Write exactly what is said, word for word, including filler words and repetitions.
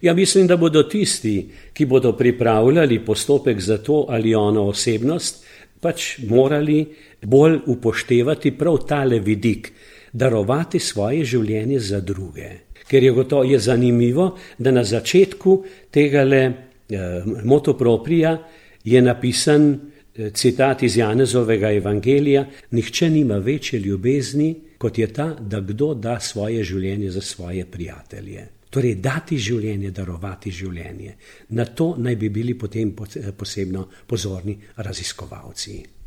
Ja, mislim, da bodo tisti, ki bodo pripravljali postopek za to ali ono osebnost, pač morali bolj upoštevati prav tale vidik, darovati svoje življenje za druge. Ker je gotovo je zanimivo, da na začetku tegale eh, motu propria je napisan eh, citat iz Janezovega evangelija: nihče nima večje ljubezni, kot je ta, da kdo da svoje življenje za svoje prijatelje. Torej, dati življenje, darovati življenje. Na to naj bi bili potem posebno pozorni raziskovalci.